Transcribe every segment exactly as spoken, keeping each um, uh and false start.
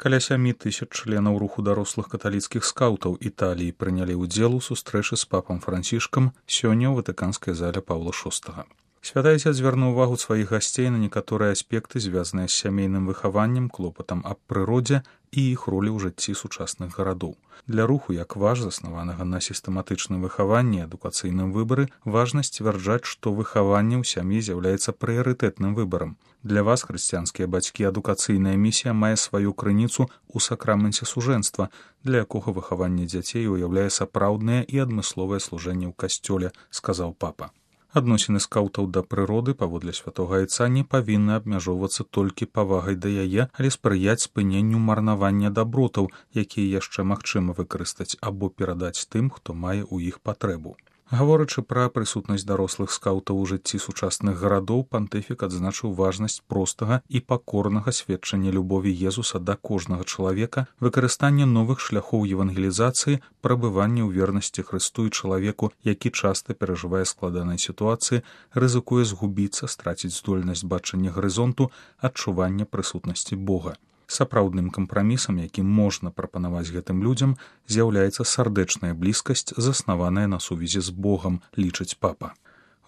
Каля сямі тысяч членаў руху дарослых каталіцкіх скаўтаў Італіі прынялі ўдзел у сустрэчы з папам Францішкам сёння ў ватыканскай зале Паўла шостага. Святы Айцец звярнуў увагу сваіх гасцей на некаторыя аспекты, звязаныя з сямейным выхаваннем, клопатам аб прыродзе і іх ролі ў жыцці сучасных гарадоў. Для руху, як важ, заснаванага на сістэматычным выхаванні і адукацыйным выбары, важна сцвярджаць, што выхаванне ў сям'і з'яўляецца прыярытэтным выбарам. Для вас, хрысціянскія бацькі, адукацыйная місія мае сваю крыніцу ў сакраменце сужэнства, для якога выхаванне дзяцей уяўляе сапраўднае і адмысловае служэнне ў касцёле, сказаў папа. Адносіны скаўтаў да прыроды, паводле святога Айца, не павінны абмяжоўвацца толькі павагай да яе, але спрыяць спыненню марнавання дабротаў, якія яшчэ магчыма выкарыстаць або перадаць тым, хто мае ў іх патрэбу. Гаворачы пра прысутнасць дарослых скаўтаў у жыцці сучасных гарадоў, пантыфік адзначыў важнасць простага і пакорнага сведчання любові Езуса да кожнага чалавека, выкарыстання новых шляхоў евангелізацыі, прабывання ў вернасці Хрысту і чалавеку, які часта перажывае складанай сітуацыі, рызыкуе згубіцца, страціць здольнасць бачання гарызонту, адчування прысутнасці Бога. Сапраўдным кампрамісам, які можна прапанаваць гэтым людзям, з'яўляецца сардэчная блізкасць, заснаваная на сувязі з Богам, лічыць папа.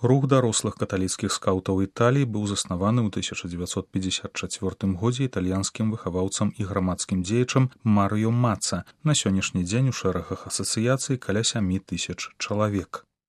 Рух дарослых каталіцкіх скаўтаў Італіі быў заснаваны ў тысяча дзевяцьсот пятьдесят чацвёртым годзе італьянскім выхаваўцам і грамадскім дзеячам Марыё Маца. На сённяшні дзень у шэрагах асацыяцый каля сямі тысяч чалавек.